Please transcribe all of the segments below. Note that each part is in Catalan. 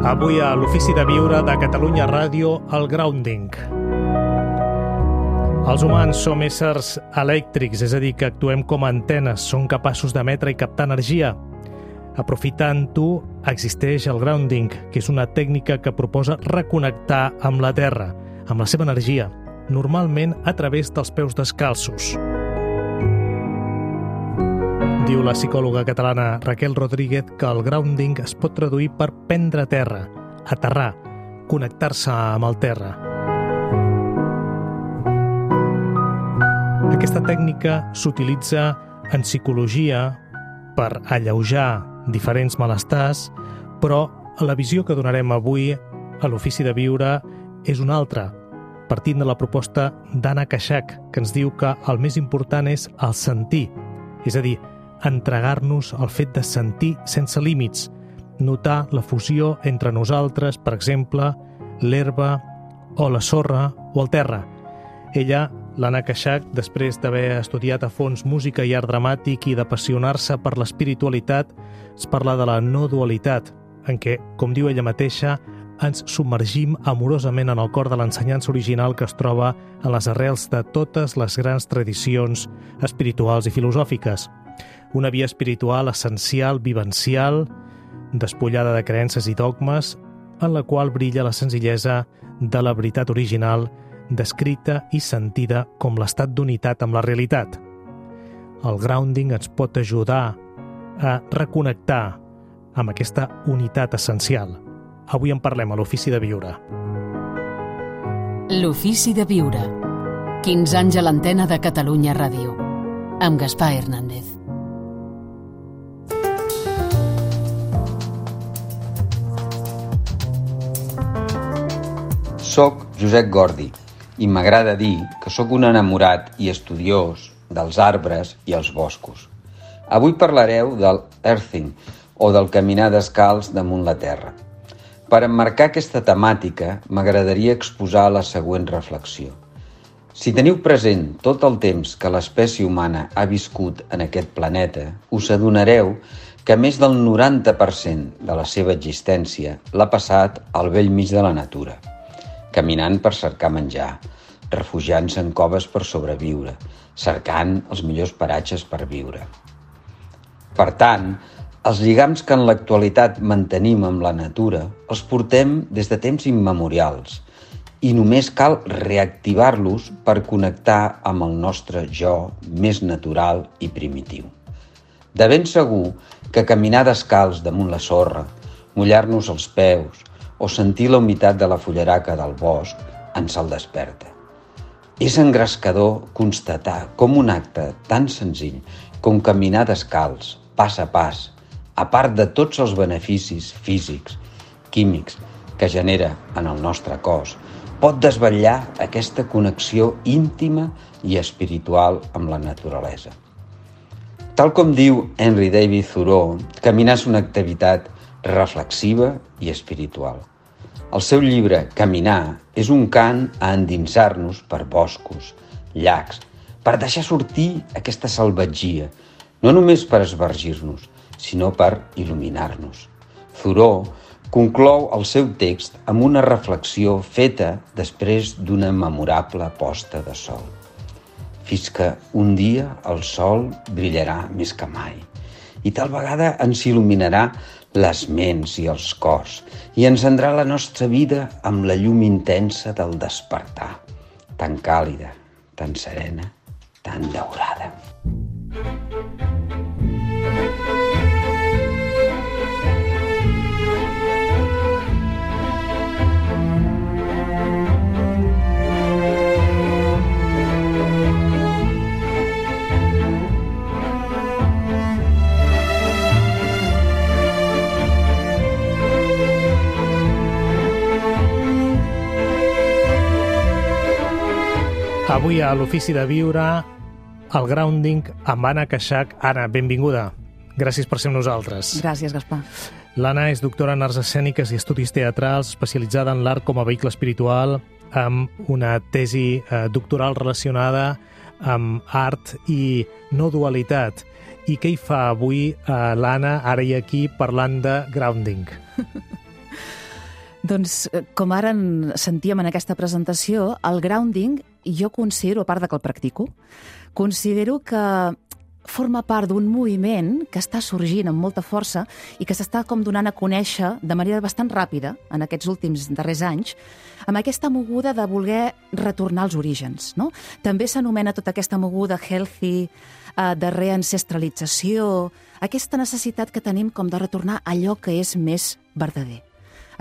Avui a l'Ofici de Viure de Catalunya Ràdio, el grounding. Els humans som éssers elèctrics, és a dir, que actuem com a antenes, som capaços d'emetre i captar energia. Aprofitant-ho, existeix el grounding, que és una tècnica que proposa reconnectar amb la Terra, amb la seva energia, normalment a través dels peus descalços. Diu la psicòloga catalana Raquel Rodríguez que el grounding es pot traduir per prendre terra, aterrar, connectar-se amb el terra. Aquesta tècnica s'utilitza en psicologia per alleujar diferents malestars, però la visió que donarem avui a l'Ofici de Viure és una altra, partint de la proposta d'Anna Kashak, que ens diu que el més important és el sentir, és a dir, entregar-nos al fet de sentir sense límits, notar la fusió entre nosaltres, per exemple, l'herba o la sorra o el terra. Ella, l'Anna Kashak, després d'haver estudiat a fons música i art dramàtic i d'apassionar-se per l'espiritualitat, es parla de la no dualitat, en què, com diu ella mateixa, ens submergim amorosament en el cor de l'ensenyança original que es troba en les arrels de totes les grans tradicions espirituals i filosòfiques. Una via espiritual essencial, vivencial, despullada de creences i dogmes, en la qual brilla la senzillesa de la veritat original, descrita i sentida com l'estat d'unitat amb la realitat. El grounding ens pot ajudar a reconnectar amb aquesta unitat essencial. Avui en parlem a l'Ofici de Viure. L'Ofici de Viure. 15 anys a l'antena de Catalunya Ràdio. Amb Gaspar Hernández. Soc Josep Gordi i m'agrada dir que sóc un enamorat i estudiós dels arbres i els boscos. Avui parlareu del earthing o del caminar descalç damunt la terra. Per emmarcar aquesta temàtica m'agradaria exposar la següent reflexió. Si teniu present tot el temps que l'espècie humana ha viscut en aquest planeta, us adonareu que més del 90% de la seva existència l'ha passat al bell mig de la natura, caminant per cercar menjar, refugiant-se en coves per sobreviure, cercant els millors paratges per viure. Per tant, els lligams que en l'actualitat mantenim amb la natura els portem des de temps immemorials i només cal reactivar-los per connectar amb el nostre jo més natural i primitiu. De ben segur que caminar descalç damunt la sorra, mullar-nos els peus o sentir la humitat de la fullaraca del bosc ens el desperta. És engrescador constatar com un acte tan senzill com caminar descalç, pas a pas, a part de tots els beneficis físics, químics que genera en el nostre cos, pot desvetllar aquesta connexió íntima i espiritual amb la naturalesa. Tal com diu Henry David Thoreau, caminar és una activitat reflexiva i espiritual. El seu llibre Caminar és un cant a endinsar-nos per boscos, llacs, per deixar sortir aquesta salvatgia, no només per esbargir-nos, sinó per il·luminar-nos. Thoreau conclou el seu text amb una reflexió feta després d'una memorable posta de sol. Fins que un dia el sol brillarà més que mai i tal vegada ens il·luminarà les ments i els cors i encendrà la nostra vida amb la llum intensa del despertar, tan càlida, tan serena, tan daurada. Avui a l'Ofici de Viure, el grounding amb Anna Kashak. Anna, benvinguda. Gràcies per ser amb nosaltres. Gràcies, Gaspar. L'Anna és doctora en arts escèniques i estudis teatrals, especialitzada en l'art com a vehicle espiritual, amb una tesi doctoral relacionada amb art i no dualitat. I què hi fa avui l'Anna, ara i aquí, parlant de grounding? Doncs, com ara sentíem en aquesta presentació, el grounding, jo considero, a part de que el practico, considero que forma part d'un moviment que està sorgint amb molta força i que s'està com donant a conèixer de manera bastant ràpida en aquests últims darrers anys, amb aquesta moguda de voler retornar als orígens, no? També s'anomena tota aquesta moguda healthy, de reancestralització, aquesta necessitat que tenim com de retornar a allò que és més verdader,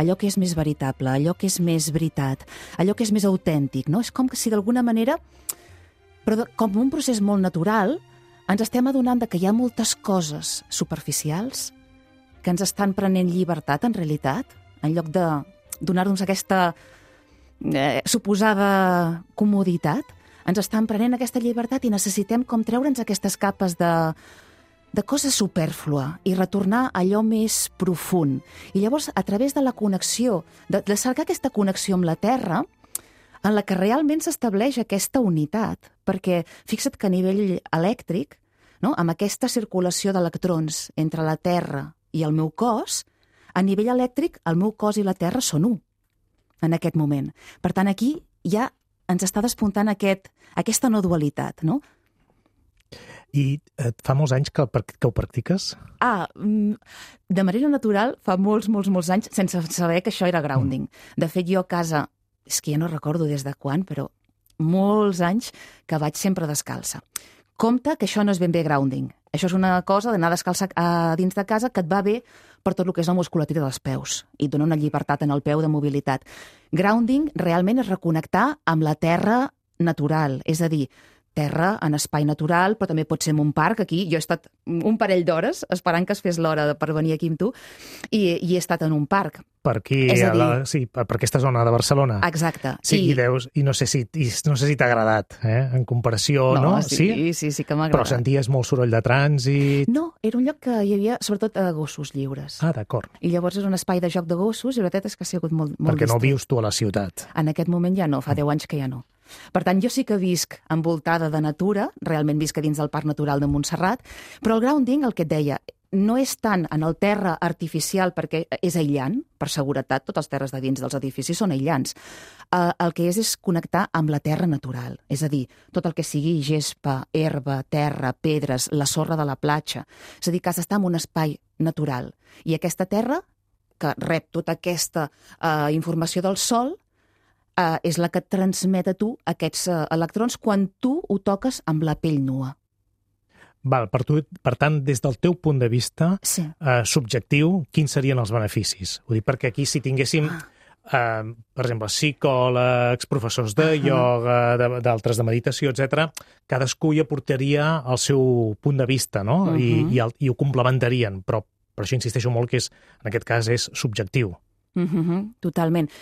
allò que és més veritable, allò que és més veritat, allò que és més autèntic, no? És com que si d'alguna manera, però com un procés molt natural, ens estem adonant que hi ha moltes coses superficials que ens estan prenent llibertat, en realitat, en lloc de donar-nos aquesta suposada comoditat, ens estan prenent aquesta llibertat i necessitem com treure'ns aquestes capes de cosa supèrflua i retornar a allò més profund. I llavors, a través de la connexió, de cercar aquesta connexió amb la Terra, en la que realment s'estableix aquesta unitat, perquè fixa't que a nivell elèctric, no, amb aquesta circulació d'electrons entre la Terra i el meu cos, a nivell elèctric el meu cos i la Terra són un en aquest moment. Per tant, aquí ja ens està despuntant aquesta no dualitat, no? I fa molts anys que ho practiques? De manera natural, fa molts anys, sense saber que això era grounding. De fet, jo a casa, és que ja no recordo des de quan, però molts anys que vaig sempre descalça. Compte que això no és ben bé grounding. Això és una cosa d'anar descalça dins de casa que et va bé per tot el que és la musculatura dels peus i et dona una llibertat en el peu de mobilitat. Grounding realment és reconnectar amb la terra natural, és a dir, terra en espai natural, però també pot ser en un parc. Aquí jo he estat un parell d'hores esperant que es fes l'hora per venir aquí amb tu i he estat en un parc. Per aquí, per aquesta zona de Barcelona. Exacte. Sí, i no sé si t'ha agradat, en comparació, no? Sí que m'ha agradat. Però senties molt soroll de trànsit? No, era un lloc que hi havia sobretot gossos lliures. D'acord. I llavors és un espai de joc de gossos i la veritat és que ha sigut molt perquè distret. No vius tu a la ciutat. En aquest moment ja no, fa 10 anys que ja no. Per tant, jo sí que visc envoltada de natura, realment visc a dins del Parc Natural de Montserrat, però el grounding, el que et deia, no és tant en el terra artificial perquè és aïllant, per seguretat, totes les terres de dins dels edificis són aïllants. El que és connectar amb la terra natural, és a dir, tot el que sigui gespa, herba, terra, pedres, la sorra de la platja. És a dir, que has d'estar en un espai natural. I aquesta terra, que rep tota aquesta informació del sol, és la que et transmet a tu aquests electrons quan tu ho toques amb la pell nua. Per tant, des del teu punt de vista subjectiu, quins serien els beneficis? Ho dic perquè aquí si tinguéssim, per exemple, psicòlegs, professors de ioga, d'altres de meditació, etc., cadascú hi aportaria el seu punt de vista, no? I ho complementarien, però per això insisteixo molt que en aquest cas és subjectiu. Totalment.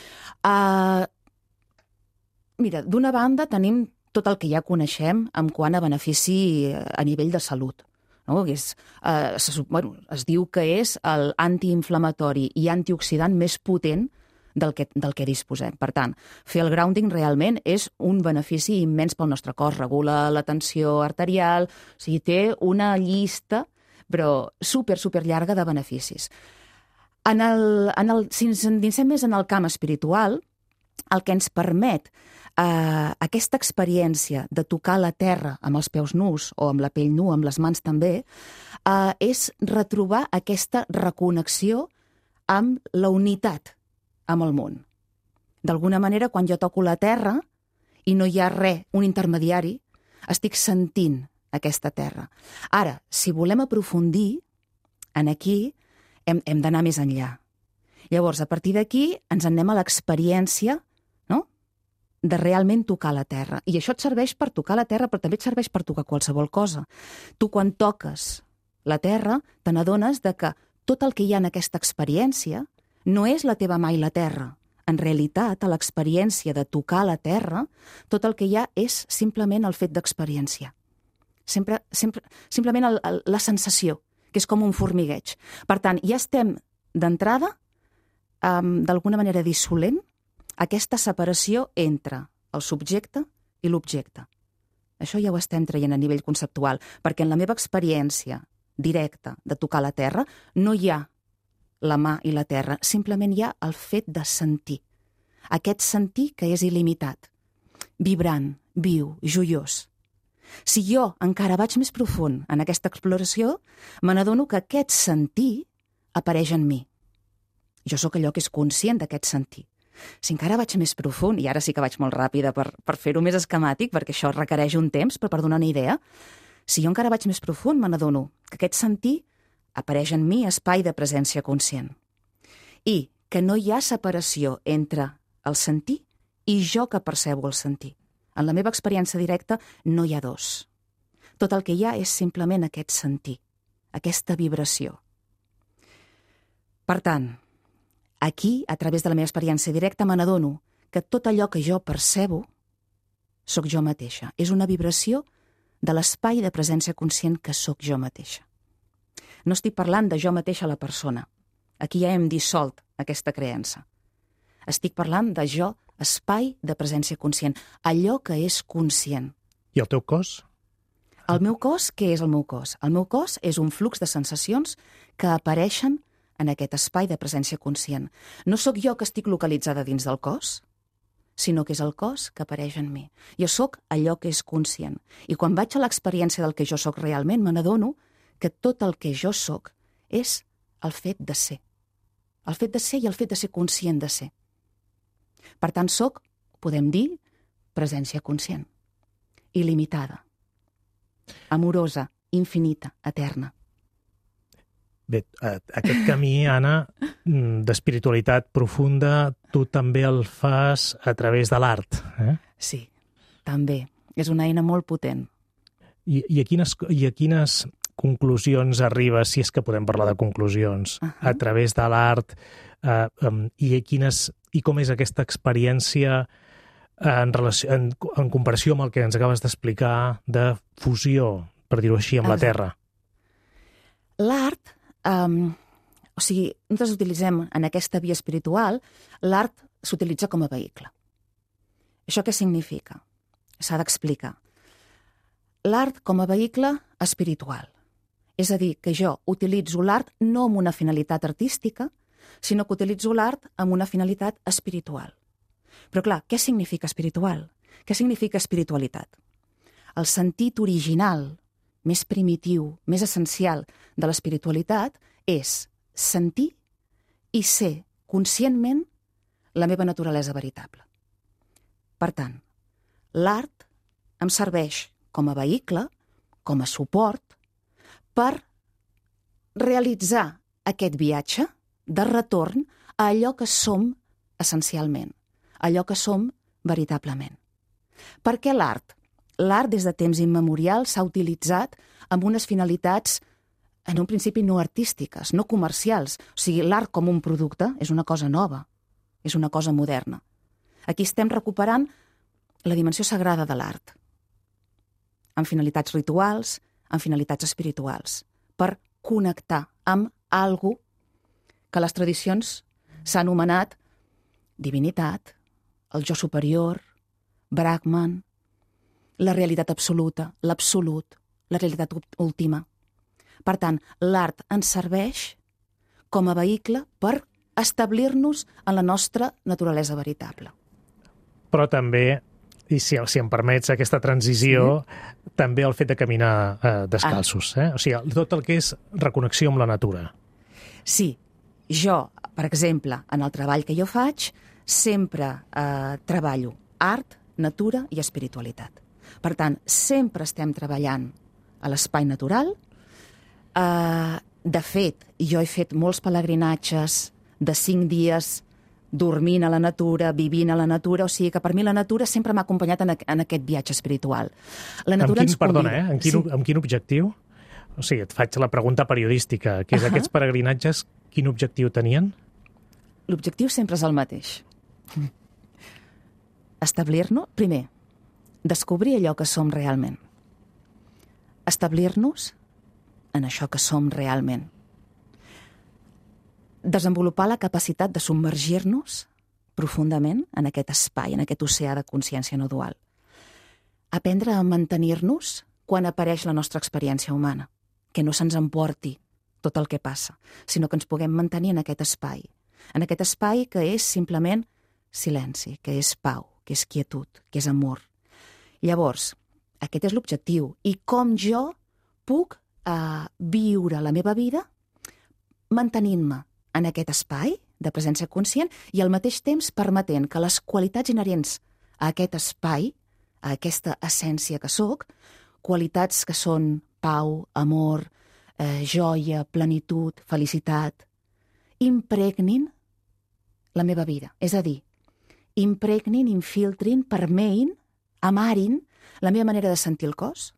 Mira, d'una banda tenim tot el que ja coneixem en quant a benefici a nivell de salut. No? Es diu que és l'antiinflamatori i antioxidant més potent del que disposem. Per tant, fer el grounding realment és un benefici immens pel nostre cos. Regula la tensió arterial, o sigui, té una llista però super llarga de beneficis. Si ens endinsem més en el camp espiritual, el que ens permet aquesta experiència de tocar la terra amb els peus nus o amb la pell nua, amb les mans també, és retrobar aquesta reconnexió amb la unitat amb el món. D'alguna manera, quan jo toco la terra i no hi ha res, un intermediari, estic sentint aquesta terra. Ara, si volem aprofundir en aquí, hem d'anar més enllà. Llavors, a partir d'aquí, ens anem a l'experiència de realment tocar la terra. I això et serveix per tocar la terra, però també et serveix per tocar qualsevol cosa. Tu, quan toques la terra, te n'adones que tot el que hi ha en aquesta experiència no és la teva mà i la terra. En realitat, a l'experiència de tocar la terra, tot el que hi ha és simplement el fet d'experiència. Simplement la sensació, que és com un formigueig. Per tant, ja estem d'entrada, d'alguna manera dissolent, aquesta separació entre el subjecte i l'objecte. Això ja ho estem traient a nivell conceptual, perquè en la meva experiència directa de tocar la terra no hi ha la mà i la terra, simplement hi ha el fet de sentir. Aquest sentir que és il·limitat, vibrant, viu, joiós. Si jo encara vaig més profund en aquesta exploració, me n'adono que aquest sentir apareix en mi. Jo sóc allò que és conscient d'aquest sentir. Si encara vaig més profund, i ara sí que vaig molt ràpida per fer-ho més esquemàtic, perquè això requereix un temps, però per donar una idea, si jo encara vaig més profund, me n'adono que aquest sentir apareix en mi espai de presència conscient. I que no hi ha separació entre el sentir i jo que percebo el sentir. En la meva experiència directa no hi ha dos. Tot el que hi ha és simplement aquest sentir, aquesta vibració. Per tant, aquí, a través de la meva experiència directa, me n'adono que tot allò que jo percebo sóc jo mateixa. És una vibració de l'espai de presència conscient que sóc jo mateixa. No estic parlant de jo mateixa la persona. Aquí ja hem dissolt aquesta creença. Estic parlant de jo, espai de presència conscient, allò que és conscient. I el teu cos? El meu cos, què és el meu cos? El meu cos és un flux de sensacions que apareixen en aquest espai de presència conscient. No sóc jo que estic localitzada dins del cos, sinó que és el cos que apareix en mi. Jo sóc allò que és conscient. I quan vaig a l'experiència del que jo sóc realment, me n'adono que tot el que jo sóc és el fet de ser. El fet de ser i el fet de ser conscient de ser. Per tant, sóc, podem dir, presència conscient. Il·limitada. Amorosa, infinita, eterna. Bé, aquest camí, Anna, d'espiritualitat profunda, tu també el fas a través de l'art, eh? Sí, també. És una eina molt potent. I a quines conclusions arribes, si és que podem parlar de conclusions, a través de l'art, i com és aquesta experiència en comparació amb el que ens acabes d'explicar de fusió, per dir-ho així, amb la Terra? L'art, nosaltres utilitzem en aquesta via espiritual, l'art s'utilitza com a vehicle. Això què significa? S'ha d'explicar. L'art com a vehicle espiritual. És a dir, que jo utilitzo l'art no amb una finalitat artística, sinó que utilitzo l'art amb una finalitat espiritual. Però clar, què significa espiritual? Què significa espiritualitat? El sentit original, més primitiu, més essencial de l'espiritualitat és sentir i ser conscientment la meva naturalesa veritable. Per tant, l'art em serveix com a vehicle, com a suport, per realitzar aquest viatge de retorn a allò que som essencialment, allò que som veritablement. Per què l'art? L'art des de temps immemorials s'ha utilitzat amb unes finalitats en un principi no artístiques, no comercials. O sigui, l'art com un producte és una cosa nova, és una cosa moderna. Aquí estem recuperant la dimensió sagrada de l'art, amb finalitats rituals, amb finalitats espirituals, per connectar amb algú que les tradicions s'ha anomenat divinitat, el jo superior, Brahman, la realitat absoluta, l'absolut, la realitat última. Per tant, l'art ens serveix com a vehicle per establir-nos en la nostra naturalesa veritable. Però també, i si em permets aquesta transició, també el fet de caminar descalços. O sigui, tot el que és reconnexió amb la natura. Sí, jo, per exemple, en el treball que jo faig, sempre treballo art, natura i espiritualitat. Per tant, sempre estem treballant a l'espai natural. De fet, jo he fet molts pelegrinatges de 5 dies dormint a la natura, vivint a la natura, o sigui que per mi la natura sempre m'ha acompanyat en aquest viatge espiritual. La natura ens convida. Perdona, amb quin objectiu? O sigui, et faig la pregunta periodística, que és aquests pelegrinatges, quin objectiu tenien? L'objectiu sempre és el mateix. Establir-nos, primer, descobrir allò que som realment. Establir-nos en això que som realment. Desenvolupar la capacitat de submergir-nos profundament en aquest espai, en aquest oceà de consciència no dual. Aprendre a mantenir-nos quan apareix la nostra experiència humana, que no se'ns emporti tot el que passa, sinó que ens puguem mantenir en aquest espai que és simplement silenci, que és pau, que és quietud, que és amor. Llavors, aquest és l'objectiu. I com jo puc viure la meva vida mantenint-me en aquest espai de presència conscient i al mateix temps permetent que les qualitats inherents a aquest espai, a aquesta essència que sóc, qualitats que són pau, amor, joia, plenitud, felicitat, impregnin la meva vida. És a dir, impregnin, infiltrin, permeïn, amarin la meva manera de sentir el cos,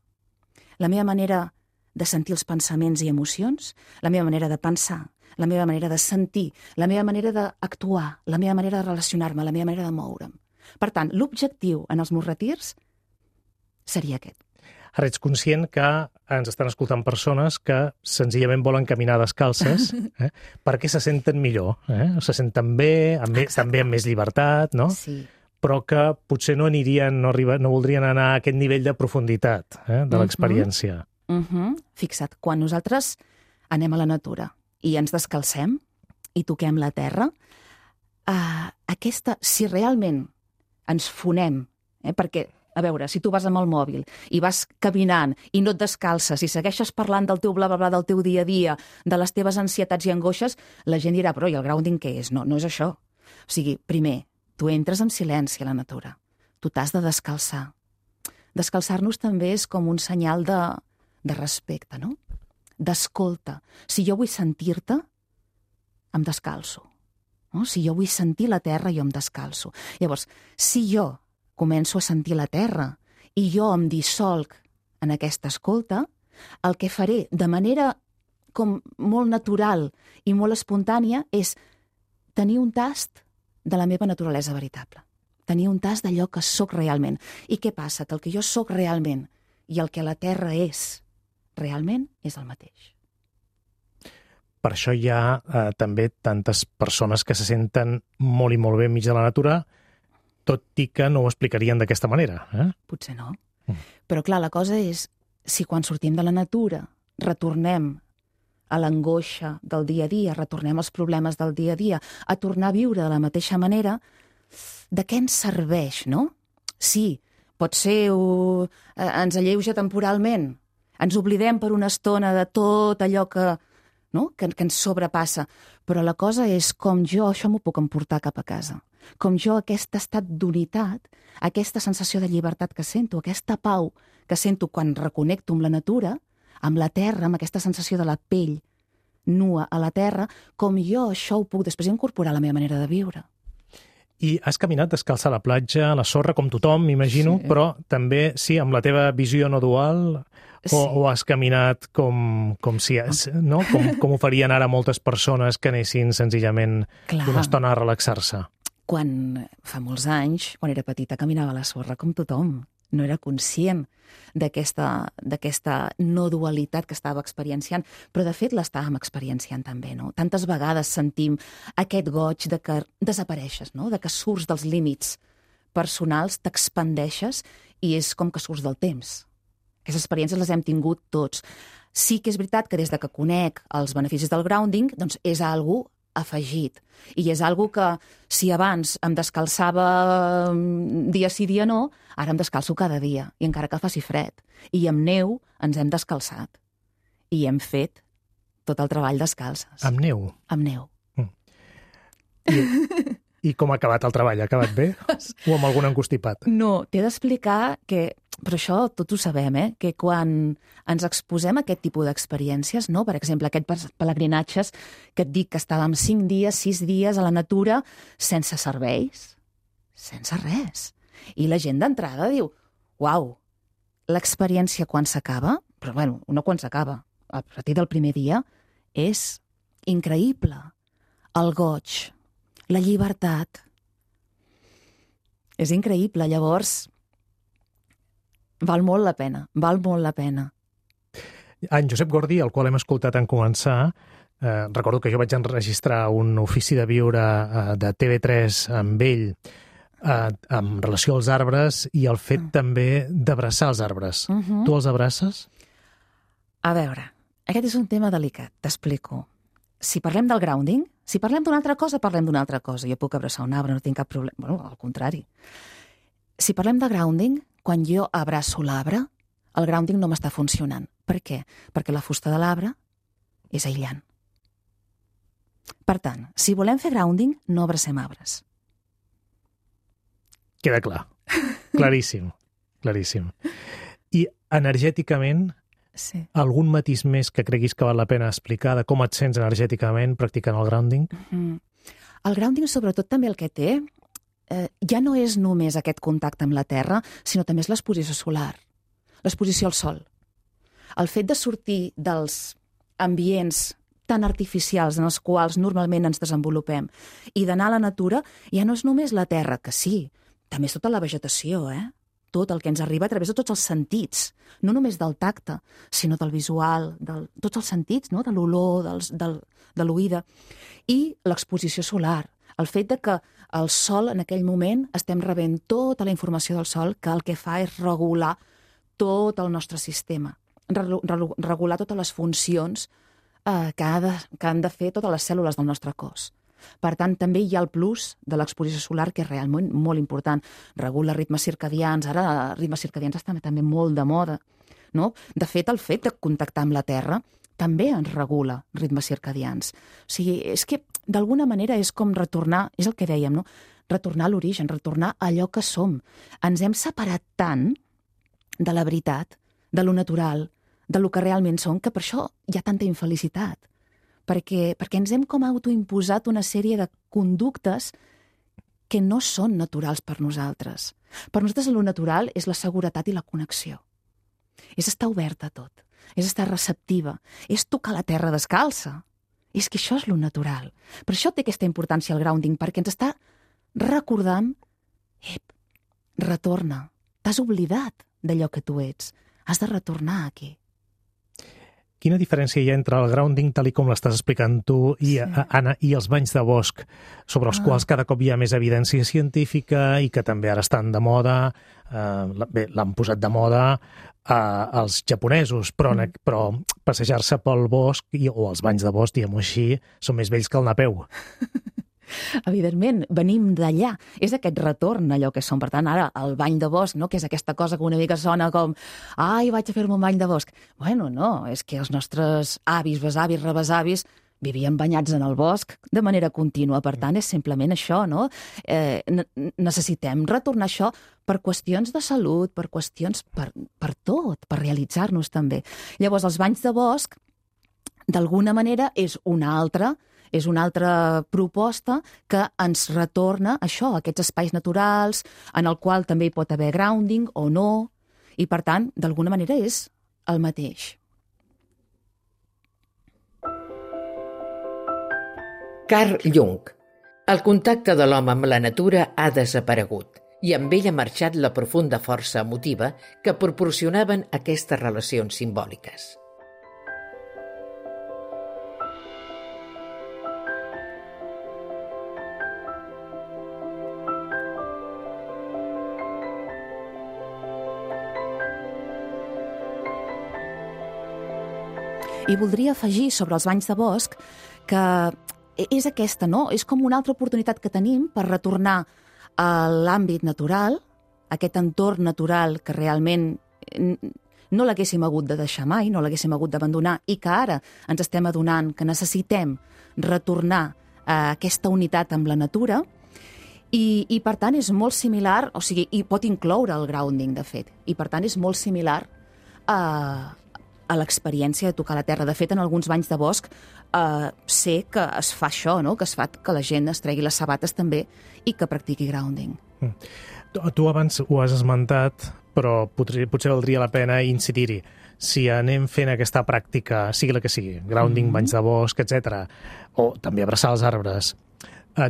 la meva manera de sentir els pensaments i emocions, la meva manera de pensar, la meva manera de sentir, la meva manera d'actuar, la meva manera de relacionar-me, la meva manera de moure'm. Per tant, l'objectiu en els meus retirs seria aquest. Ara ets conscient que ens estan escoltant persones que senzillament volen caminar descalces perquè se senten millor, se senten bé, també amb més llibertat, no? Sí. Però que potser no voldrien anar a aquest nivell de profunditat de l'experiència. Fixa't, quan nosaltres anem a la natura i ens descalcem i toquem la terra, si realment ens fonem, perquè, a veure, si tu vas amb el mòbil i vas caminant i no et descalces i segueixes parlant del teu bla bla bla del teu dia a dia, de les teves ansietats i angoixes, la gent dirà, però i el grounding què és? No és això. O sigui, primer, tu entres en silenci a la natura. Tu t'has de descalçar. Descalçar-nos també és com un senyal de respecte, no? D'escolta. Si jo vull sentir-te, em descalço. No? Si jo vull sentir la terra, jo em descalço. Llavors, si jo començo a sentir la terra i jo em dissolc en aquesta escolta, el que faré de manera com molt natural i molt espontània és tenir un tast de la meva naturalesa veritable. Tenir un tast d'allò que sóc realment. I què passa? Que el que jo sóc realment i el que la terra és realment és el mateix. Per això hi ha també tantes persones que se senten molt i molt bé enmig de la natura, tot i que no ho explicarien d'aquesta manera. Potser no. Però clar, la cosa és, si quan sortim de la natura retornem a l'angoixa del dia a dia, retornem als problemes del dia a dia, a tornar a viure de la mateixa manera, de què ens serveix, no? Sí, potser ens alleuja temporalment, ens oblidem per una estona de tot allò que ens sobrepassa, però la cosa és com jo això m'ho puc emportar cap a casa, com jo aquest estat d'unitat, aquesta sensació de llibertat que sento, aquesta pau que sento quan reconnecto amb la natura, amb la terra, amb aquesta sensació de la pell nua a la terra, com jo això ho puc després incorporar a la meva manera de viure. I has caminat descalça a la platja, a la sorra, com tothom, m'imagino, sí. Però també, sí, amb la teva visió no dual, sí. o has caminat com ho farien ara moltes persones que anessin senzillament una estona a relaxar-se? Fa molts anys, quan era petita, caminava a la sorra com tothom. No era conscient d'aquesta no dualitat que estava experienciant, però de fet l'estàvem experienciant també, no? Tantes vegades sentim aquest goig de que desapareixes, no? De que surts dels límits personals, t'expandeixes i és com que surts del temps. Aquestes experiències les hem tingut tots. Sí que és veritat que des de que conec els beneficis del grounding, doncs és algo afegit. I és algo que, si abans em descalçava dia sí, dia no, ara em descalço cada dia, i encara que faci fred. I amb neu ens hem descalçat. I hem fet tot el treball descalces. Amb neu? Amb neu. I com ha acabat el treball? Ha acabat bé? O amb algun encostipat? No, t'he d'explicar que, però això tots ho sabem, que quan ens exposem a aquest tipus d'experiències, no? Per exemple, aquests pelegrinatges que et dic que estàvem 5 dies, 6 dies a la natura sense serveis, sense res. I la gent d'entrada diu, uau, l'experiència quan s'acaba, però bueno, no quan s'acaba, a partir del primer dia, és increïble. El goig, la llibertat. És increïble, llavors val molt la pena, val molt la pena. En Josep Gordi, el qual hem escoltat en començar, recordo que jo vaig enregistrar un ofici de viure de TV3 amb ell en relació als arbres i el fet també d'abraçar els arbres. Tu els abraces? A veure, Aquest és un tema delicat, t'explico. Si parlem del grounding, si parlem d'una altra cosa, parlem d'una altra cosa. Jo puc abraçar un arbre, no tinc cap problema. Bueno, al contrari. Si parlem de grounding, quan jo abraço l'arbre, el grounding no m'està funcionant. Per què? Perquè la fusta de l'arbre és aïllant. Per tant, si volem fer grounding, no abracem arbres. Queda clar. Claríssim. Claríssim. I energèticament, Sí. algun matís més que creguis que val la pena explicar de com et sents energèticament practicant el grounding? El grounding, sobretot, també el que té, ja no és només aquest contacte amb la terra, sinó també és l'exposició solar, l'exposició al sol. El fet de sortir dels ambients tan artificials en els quals normalment ens desenvolupem i d'anar a la natura, ja no és només la terra, que sí, també és tota la vegetació, tot el que ens arriba a través de tots els sentits, no només del tacte, sinó del visual, tots els sentits, no? De l'olor, de l'oïda, i l'exposició solar, el fet de que el sol en aquell moment estem rebent tota la informació del sol que el que fa és regular tot el nostre sistema, regular totes les funcions que han de fer totes les cèl·lules del nostre cos. Per tant, també hi ha el plus de l'exposició solar, que és realment molt important. Regula ritmes circadians, ara ritmes circadians estan també molt de moda, no? De fet, el fet de contactar amb la Terra també ens regula ritmes circadians. O sigui, és que d'alguna manera és com retornar, és el que dèiem, no? Retornar a l'origen, retornar a allò que som. Ens hem separat tant de la veritat, de lo natural, de lo que realment som, que per això hi ha tanta infelicitat. Perquè ens hem com autoimposat una sèrie de conductes que no són naturals per nosaltres. Per nosaltres lo natural és la seguretat i la connexió. És estar oberta a tot, és estar receptiva, és tocar la terra descalça. És que això és lo natural. Per això té aquesta importància el grounding, perquè ens està recordant, retorna, t'has oblidat d'allò que tu ets, has de retornar aquí. Quina diferència hi ha entre el grounding, tal com l'estàs explicant tu, i, Anna, i els banys de bosc, sobre els quals cada cop hi ha més evidència científica i que també ara estan de moda, l'han posat de moda els japonesos, però passejar-se pel bosc o els banys de bosc, diguem-ho així, són més vells que el Napeu. Evidentment, venim d'allà. És aquest retorn a allò que som. Per tant, ara, el bany de bosc, no? Que és aquesta cosa que una mica sona com ai, vaig a fer-me un bany de bosc. Bueno, no, és que els nostres avis, besavis, rebesavis vivien banyats en el bosc de manera contínua. Per tant, és simplement això, no? Necessitem retornar això per qüestions de salut, per qüestions per tot, per realitzar-nos també. Llavors, els banys de bosc, d'alguna manera, és una altra proposta que ens retorna això, aquests espais naturals, en el qual també hi pot haver grounding o no, i per tant, d'alguna manera és el mateix. Carl Jung. El contacte de l'home amb la natura ha desaparegut i amb ell ha marxat la profunda força emotiva que proporcionaven aquestes relacions simbòliques. I voldria afegir sobre els banys de bosc que és aquesta, no? És com una altra oportunitat que tenim per retornar a l'àmbit natural, aquest entorn natural que realment no l'haguéssim hagut de deixar mai, no l'haguéssim hagut d'abandonar i que ara ens estem adonant que necessitem retornar a aquesta unitat amb la natura i per tant és molt similar, o sigui, i pot incloure el grounding, de fet, i per tant és molt similar a l'experiència de tocar la terra. De fet, en alguns banys de bosc sé que es fa això, no? Que es fa que la gent es tregui les sabates també i que practiqui grounding. Tu abans ho has esmentat, però potser valdria la pena incidir-hi. Si anem fent aquesta pràctica, sigui la que sigui, grounding, banys de bosc, etc., o també abraçar els arbres,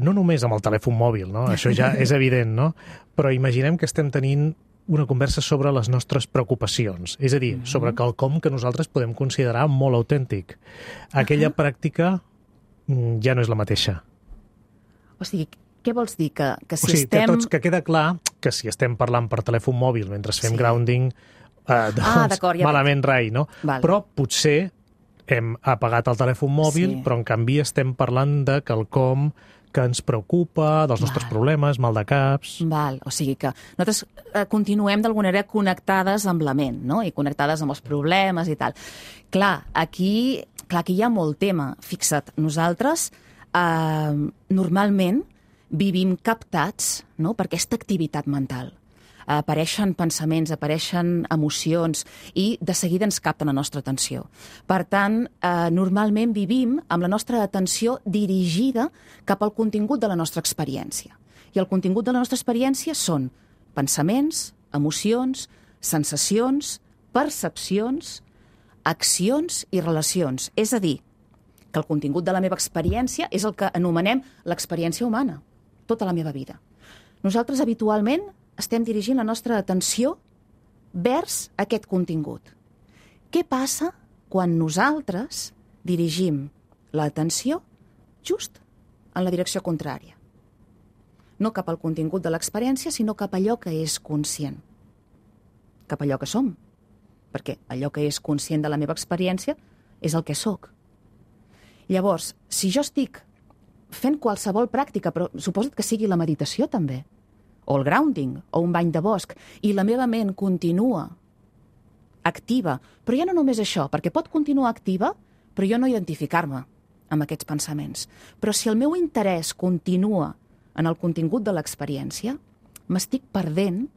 no només amb el telèfon mòbil, no? Això ja és evident, no? Però imaginem que estem tenint una conversa sobre les nostres preocupacions, és a dir, sobre quelcom que nosaltres podem considerar molt autèntic. Aquella pràctica ja no és la mateixa. O sigui, què vols dir? Que si o sigui, estem... que queda clar que si estem parlant per telèfon mòbil mentre fem grounding, doncs d'acord, ja malament rai, no? Val. Però potser hem apagat el telèfon mòbil, Sí. però en canvi estem parlant de quelcom que ens preocupa, dels nostres problemes, mal de caps... Val, o sigui que nosaltres continuem d'alguna manera connectades amb la ment, no? I connectades amb els problemes i tal. Clar, aquí hi ha molt tema. Fixa't, nosaltres normalment vivim captats, no?, per aquesta activitat mental. Apareixen pensaments, apareixen emocions i de seguida ens capten la nostra atenció. Per tant, normalment vivim amb la nostra atenció dirigida cap al contingut de la nostra experiència. I el contingut de la nostra experiència són pensaments, emocions, sensacions, percepcions, accions i relacions. És a dir, que el contingut de la meva experiència és el que anomenem l'experiència humana, tota la meva vida. Nosaltres habitualment estem dirigint la nostra atenció vers aquest contingut. Què passa quan nosaltres dirigim l'atenció just en la direcció contrària? No cap al contingut de l'experiència, sinó cap a allò que és conscient. Cap a allò que som. Perquè allò que és conscient de la meva experiència és el que sóc. Llavors, si jo estic fent qualsevol pràctica, però suposa't que sigui la meditació també, o el grounding, o un bany de bosc, i la meva ment continua activa, però ja no només això, perquè pot continuar activa, però jo no identificar-me amb aquests pensaments. Però si el meu interès continua en el contingut de l'experiència, m'estic perdent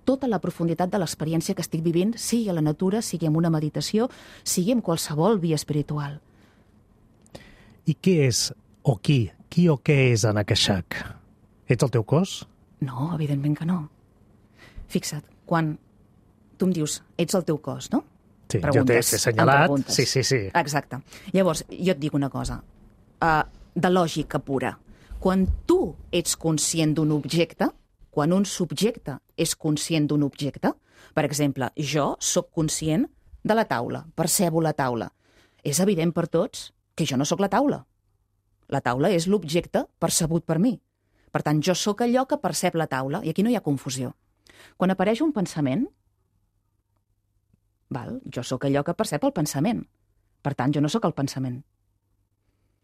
tota la profunditat de l'experiència que estic vivint, sigui a la natura, sigui en una meditació, sigui en qualsevol via espiritual. I què és, o qui o què és Anakashak? Ets el teu cos? No, evidentment que no. Fixa't, quan tu em dius, ets el teu cos, no? Sí, Preguntes, jo t'he assenyalat. em preguntes. Sí. Exacte. Llavors, jo et dic una cosa, de lògica pura. Quan tu ets conscient d'un objecte, quan un subjecte és conscient d'un objecte, per exemple, jo sóc conscient de la taula, percebo la taula. És evident per tots que jo no sóc la taula. La taula és l'objecte percebut per mi. Per tant, jo sóc allò que percep la taula, i aquí no hi ha confusió. Quan apareix un pensament, jo sóc allò que percep el pensament. Per tant, jo no sóc el pensament.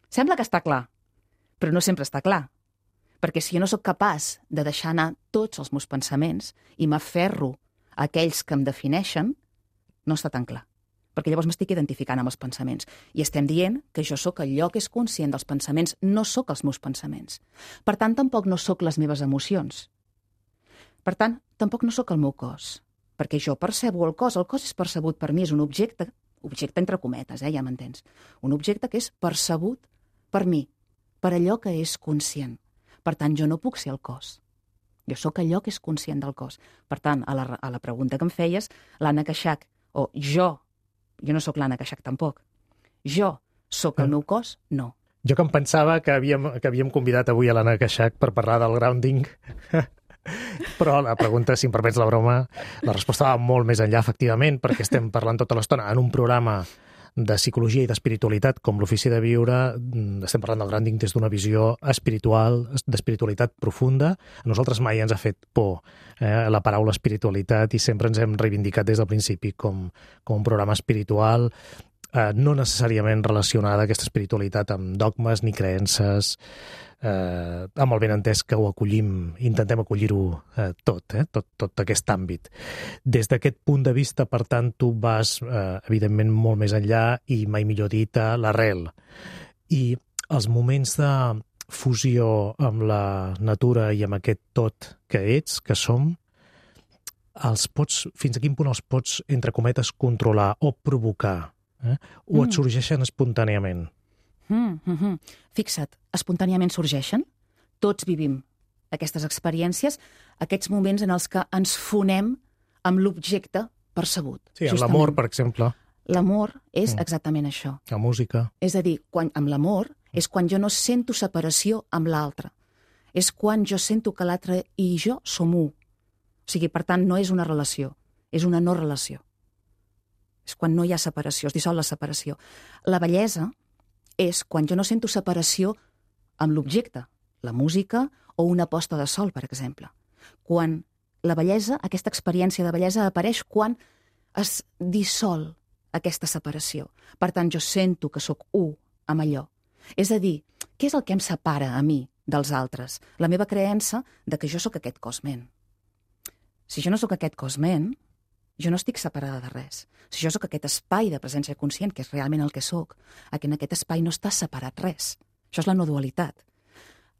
Sembla que està clar, però no sempre està clar. Perquè si jo no sóc capaç de deixar anar tots els meus pensaments i m'aferro a aquells que em defineixen, no està tan clar. Perquè llavors m'estic identificant amb els pensaments. I estem dient que jo sóc allò que és conscient dels pensaments, no sóc els meus pensaments. Per tant, tampoc no sóc les meves emocions. Per tant, tampoc no sóc el meu cos. Perquè jo percebo el cos és percebut per mi, és un objecte entre cometes, ja m'entens. Un objecte que és percebut per mi, per allò que és conscient. Per tant, jo no puc ser el cos. Jo sóc allò que és conscient del cos. Per tant, a la pregunta que em feies, l'Anakashak, o jo no sóc l'Anakashak tampoc. Jo sóc el meu cos? No. Jo que em pensava que havíem convidat avui a l'Anakashak per parlar del grounding, però la pregunta, si em permets la broma, la resposta va molt més enllà, efectivament, perquè estem parlant tota l'estona en un programa de psicologia i d'espiritualitat com l'Ofici de Viure. Estem parlant del grounding des d'una visió espiritual, d'espiritualitat profunda. A nosaltres mai ens ha fet por la paraula espiritualitat i sempre ens hem reivindicat des del principi com un programa espiritual, no necessàriament relacionada aquesta espiritualitat amb dogmes ni creences, amb el benentès que ho acollim, intentem acollir-ho tot aquest àmbit. Des d'aquest punt de vista, per tant, tu vas, evidentment, molt més enllà i, mai millor dit, a l'arrel. I els moments de fusió amb la natura i amb aquest tot que ets, que som, fins a quin punt els pots, entre cometes, controlar o provocar? O et sorgeixen espontàniament? Fixa't, espontàniament sorgeixen. Tots vivim aquestes experiències, aquests moments en els que ens fonem amb l'objecte percebut. Sí, amb l'amor, per exemple. L'amor és exactament això. La música. És a dir, amb l'amor és quan jo no sento separació amb l'altre. És quan jo sento que l'altre i jo som u. O sigui, per tant, no és una relació, és una no relació. És quan no hi ha separació, es dissol la separació. La bellesa és quan jo no sento separació amb l'objecte, la música o una posta de sol, per exemple. Quan la bellesa, aquesta experiència de bellesa apareix quan es dissol aquesta separació. Per tant, jo sento que sóc u amb allò. És a dir, què és el que em separa a mi dels altres? La meva creença de que jo sóc aquest cos ment. Si jo no sóc aquest cos ment, jo no estic separada de res. Si jo sóc aquest espai de presència conscient, que és realment el que sóc, en aquest espai no està separat res. Això és la no dualitat.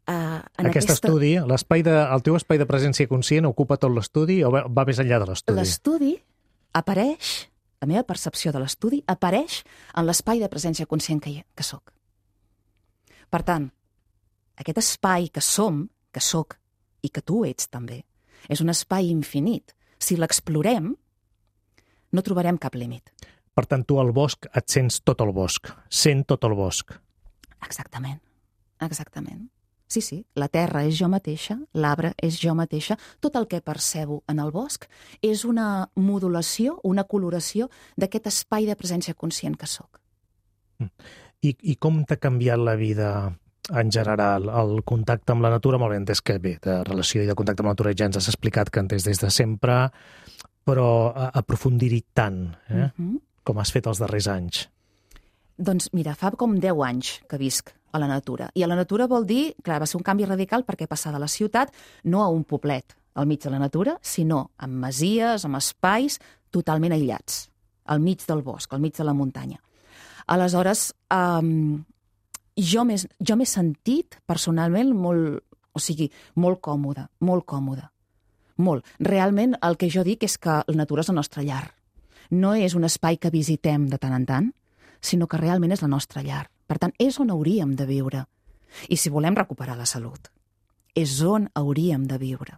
Aquest estudi, el teu espai de presència conscient ocupa tot l'estudi o va més enllà de l'estudi? L'estudi apareix, la meva percepció de l'estudi apareix en l'espai de presència conscient que sóc. Per tant, aquest espai que som, que sóc i que tu ets també, és un espai infinit. Si l'explorem, no trobarem cap límit. Per tant, tu al bosc et sents tot el bosc, sent tot el bosc. Exactament, exactament. Sí, la terra és jo mateixa, l'arbre és jo mateixa, tot el que percebo en el bosc és una modulació, una coloració d'aquest espai de presència conscient que sóc. I com t'ha canviat la vida en general, el contacte amb la natura? Molt bé, entès que bé, de relació i de contacte amb la natura ja ens has explicat que entès des de sempre, però aprofundir-hi tant, com has fet els darrers anys. Doncs mira, fa com 10 anys que visc a la natura. I a la natura vol dir, clar, va ser un canvi radical perquè passar de la ciutat no a un poblet al mig de la natura, sinó amb masies, amb espais totalment aïllats, al mig del bosc, al mig de la muntanya. Aleshores, jo m'he sentit personalment molt còmoda, molt còmoda. Molt. Realment el que jo dic és que la natura és la nostra llar. No és un espai que visitem de tant en tant, sinó que realment és la nostra llar. Per tant, és on hauríem de viure. I si volem recuperar la salut, és on hauríem de viure.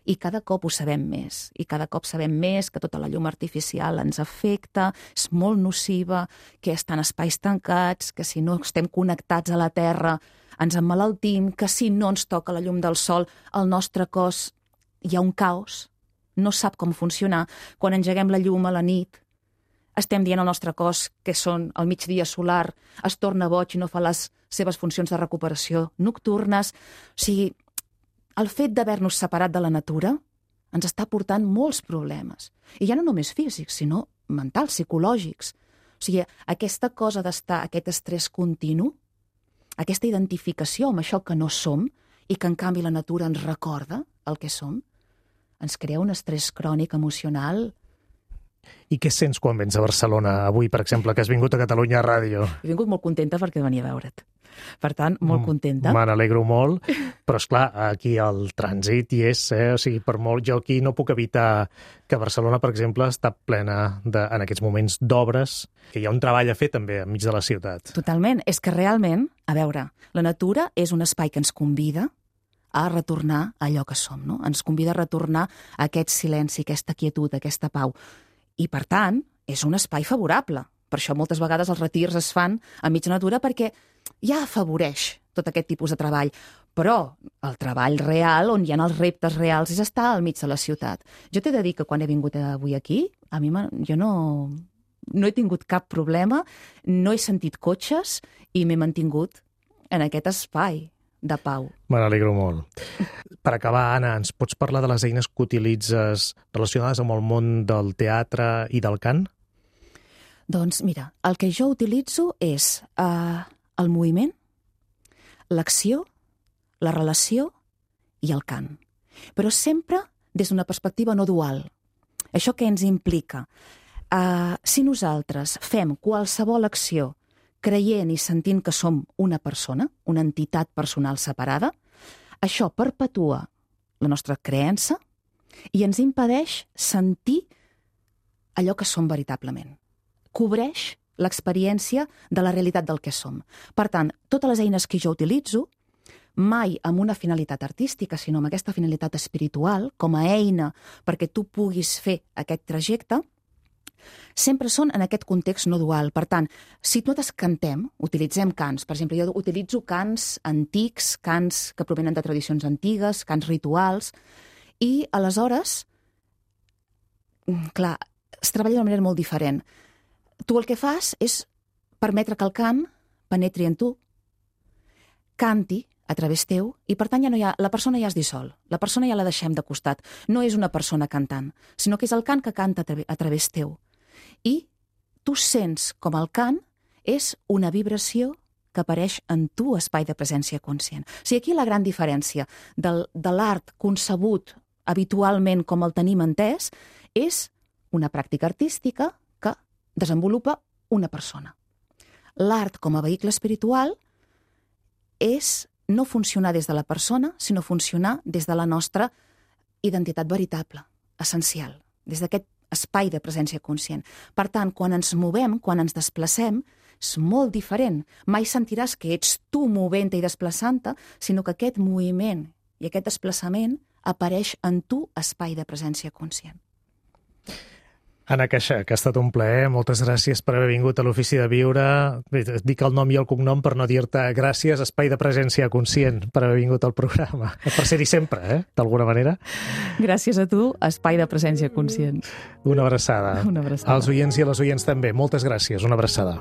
I cada cop ho sabem més. I cada cop sabem més que tota la llum artificial ens afecta, és molt nociva, que estan espais tancats, que si no estem connectats a la terra ens emmalaltim, que si no ens toca la llum del sol, el nostre cos hi ha un caos, no sap com funcionar. Quan engeguem la llum a la nit, estem dient al nostre cos que són al migdia solar, es torna boig i no fa les seves funcions de recuperació nocturnes. O sigui, el fet d'haver-nos separat de la natura ens està portant molts problemes. I ja no només físics, sinó mentals, psicològics. O sigui, aquesta cosa d'estar, aquest estrès continu, aquesta identificació amb això que no som i que en canvi la natura ens recorda el que som, ens crea un estrès crònic emocional. I què sents quan vens a Barcelona avui, per exemple, que has vingut a Catalunya Ràdio? He vingut molt contenta perquè venia a veure't. Per tant, molt contenta. Me n'alegro molt, però esclar, aquí el trànsit hi és, o sigui, per molt, jo aquí no puc evitar que Barcelona, per exemple, està plena en aquests moments d'obres, que hi ha un treball a fer també enmig de la ciutat. Totalment, és que realment, a veure, la natura és un espai que ens convida a retornar a allò que som, no? Ens convida a retornar a aquest silenci, aquesta quietud, aquesta pau. I, per tant, és un espai favorable. Per això moltes vegades els retirs es fan enmig de la natura perquè ja afavoreix tot aquest tipus de treball. Però el treball real, on hi ha els reptes reals, és estar al mig de la ciutat. Jo t'he de dir que quan he vingut avui aquí, a mi jo no he tingut cap problema, no he sentit cotxes i m'he mantingut en aquest espai de pau. Me n'alegro molt. Per acabar, Anna, ens pots parlar de les eines que utilitzes relacionades amb el món del teatre i del cant? Doncs mira, el que jo utilitzo és el moviment, l'acció, la relació i el cant. Però sempre des d'una perspectiva no dual. Això què ens implica? Si nosaltres fem qualsevol acció creient i sentint que som una persona, una entitat personal separada, això perpetua la nostra creença i ens impedeix sentir allò que som veritablement. Cobreix l'experiència de la realitat del que som. Per tant, totes les eines que jo utilitzo, mai amb una finalitat artística, sinó amb aquesta finalitat espiritual, com a eina perquè tu puguis fer aquest trajecte, sempre són en aquest context no dual. Per tant, si nosaltres cantem, utilitzem cants, per exemple, jo utilitzo cants antics, cants que provenen de tradicions antigues, cants rituals, i aleshores, clar, es treballa d'una manera molt diferent. Tu el que fas és permetre que el cant penetri en tu, canti a través teu, i per tant la persona ja es dissol, la persona ja la deixem de costat. No és una persona cantant, sinó que és el cant que canta a través teu. I tu sents com el cant és una vibració que apareix en tu, espai de presència conscient. O sigui, aquí la gran diferència de l'art concebut habitualment com el tenim entès és una pràctica artística que desenvolupa una persona. L'art com a vehicle espiritual és no funcionar des de la persona, sinó funcionar des de la nostra identitat veritable, essencial, des d'aquest espai de presència conscient. Per tant, quan ens movem, quan ens desplacem, és molt diferent. Mai sentiràs que ets tu movent-te i desplaçant-te, sinó que aquest moviment i aquest desplaçament apareix en tu, espai de presència conscient. Anna Queixà, que ha estat un plaer. Moltes gràcies per haver vingut a l'Ofici de Viure. Bé, dic el nom i el cognom per no dir-te gràcies, espai de presència conscient, per haver vingut al programa. Per ser-hi sempre, d'alguna manera. Gràcies a tu, espai de presència conscient. Una abraçada. Una abraçada. Als oients i a les oients també. Moltes gràcies. Una abraçada.